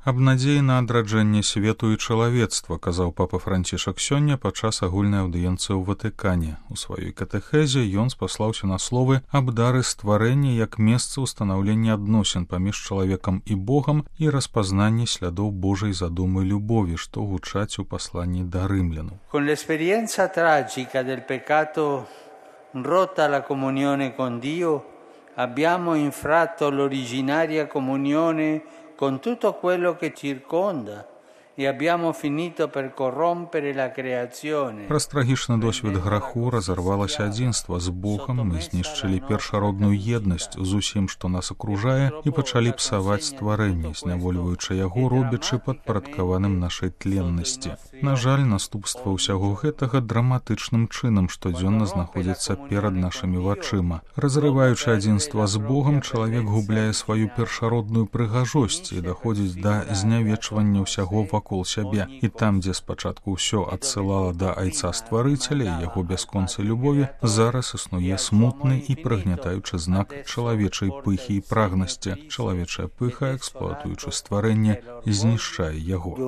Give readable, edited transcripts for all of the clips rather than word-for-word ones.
Аб надзеі на адраджэнне свету і чалавецтва, казаў папа Францішак сёння падчас агульнай аўдыенцыі ў Ватыкане. У сваёй катэхезе ён спаслаўся на словы аб дары стварэння як месца ўстанаўлення адносін паміж чалавекам і Богам і распазнанне слядоў Божай задумы любові, што гучаць у пасланні да рымлянаў. Con l'esperienza tragica del peccato rotta la comunione con Dio, abbiamo infratto l'originaria comunione con tutto quello che circonda e abbiamo finito per corrompere la creazione. Праз трагічны досвед граху разарвалася адзінства з Богам, мы знішчылі першародную еднасць з усім, што нас акружае, і пачалі псаваць стварэнне, знявольваючы яго, робячы падпарадкаваным нашай тленнасці. На жаль, наступства ўсяго гэтага драматычным чынам штодзённа знаходзіцца перад нашымі вачыма. Разрываючы адзінства з Богам, чалавек губляе сваю першародную прыгажосць і даходзіць да знявечвання ўсяго вакол сябе. І там, дзе спачатку ўсё адсылала да айца стварыцеля і яго бясконцай любові, зараз існуе смутны і прыгнятаючы знак чалавечай пыхі і прагнасці. Чалавечая пыха, эксплуатуючы стварэнне, знішчае яго.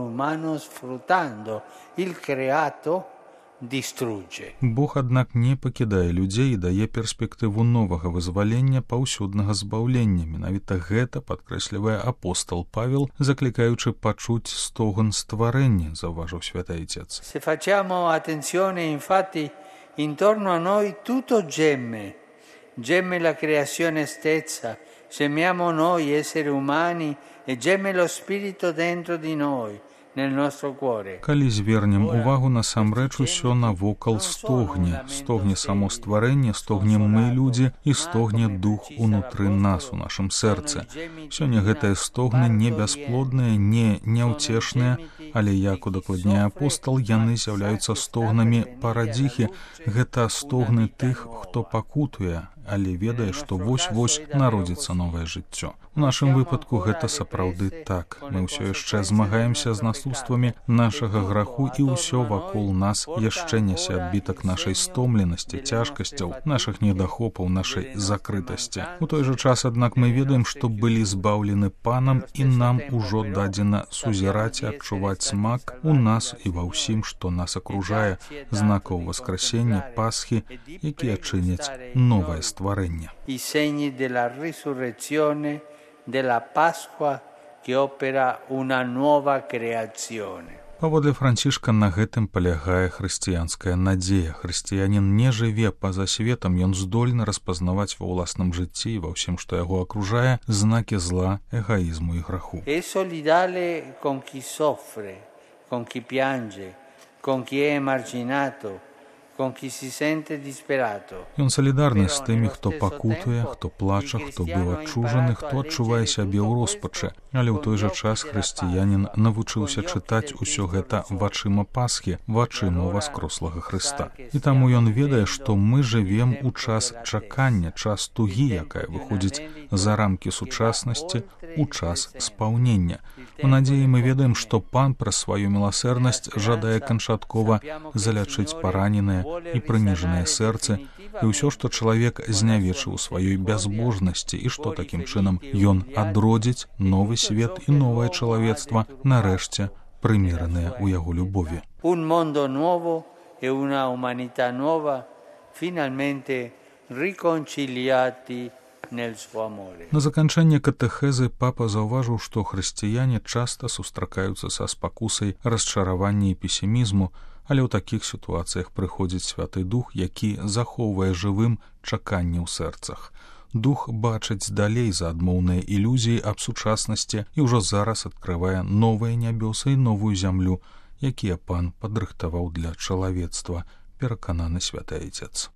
Бог, аднак, не пакідае людзей і дае перспектыву новага вызвалення, паўсюднага збаўлення. Менавіта гэта падкрэслівае апостол Павел, заклікаючы пачуць стогн стварэння, заўважыў святы Айцец. Se facciamo attenzione, infatti, intorno a noi tutto gemme la creazione stessa, gemiamo noi esseri umani e geme lo spirito dentro di noi. Калі звернем увагу, насамрэч усё навокал стогне. Стогне само стварэнне, стогнем мы, людзі, і стогне дух унутры нас, у нашым сэрцы. Сёння гэтыя стогны не бясплодныя, не няўцешныя, але, як удакладняе апостол, яны з'яўляюцца стогнамі парадзіхі. Гэта стогны тых, хто пакутуе, але ведае, што вось-вось народзіцца новае жыццё. У нашым выпадку гэта сапраўды так. Мы ўсё яшчэ змагаемся з наступствамі нашага граху, і ўсё вакол нас яшчэ нясе адбітак нашай стомленасці, цяжкасцяў, нашых недахопаў, нашай закрытасці. У той жа час, аднак, мы ведаем, што былі збаўлены Панам, і нам ужо дадзена сузіраць і адчуваць смак у нас і ва ўсім, што нас акружае, знакаў васкрасення, Пасхі, якія чыняць новае стварэнне. I segni della risurrezione, della Pasqua che opera una nuova creazione. Паводле Францішка, на гэтым палягае хрысціянская надзея. Хрысціянін не жыве па-за светам, ён здольны распазнаваць ва ўласным жыцці і ва ўсім, што яго акружае, знакі зла, эгоізму і граху. È solidale con chi soffre, con chi piange, con chi è emarginato, Ён салідарны з тымі, хто пакутуе, хто плача, хто быў адчужаны, хто адчувае сябе ў роспачы. Але ў той жа час хрысціянін навучыўся чытаць усё гэта вачыма Пасхі, вачыма васкрослага Хрыста. І таму ён ведае, што мы жывем у час чакання, час тугі, якая выходзіць за рамкі сучаснасці, у час спаўнення. У надзеі мы ведаем, што Пан праз сваю міласэрнасць жадае канчаткова залячыць параненыя і прыніжаныя сэрцы, і ўсё, што чалавек знявечыў у сваёй бязбожнасці, і што такім чынам ён адродзіць новы свет і новае чалавецтва, нарэшце прыміраныя ў яго любові. Un mondo nuovo e una umanità nuova, finalmente riconciliati nel suo amore. На заканчэнне катэхезы папа заўважыў, што хрысціяне часта сустракаюцца са спакусай расчаравання і песімізму, але ў такіх сітуацыях прыходзіць Святы Дух, які захоўвае жывым чаканне ў сэрцах. Дух бачыць далей за адмоўныя ілюзіі аб сучаснасці і ўжо зараз адкрывае новыя нябёсы і новую зямлю, якія Пан падрыхтаваў для чалавецтва, перакананы Святы Айцец.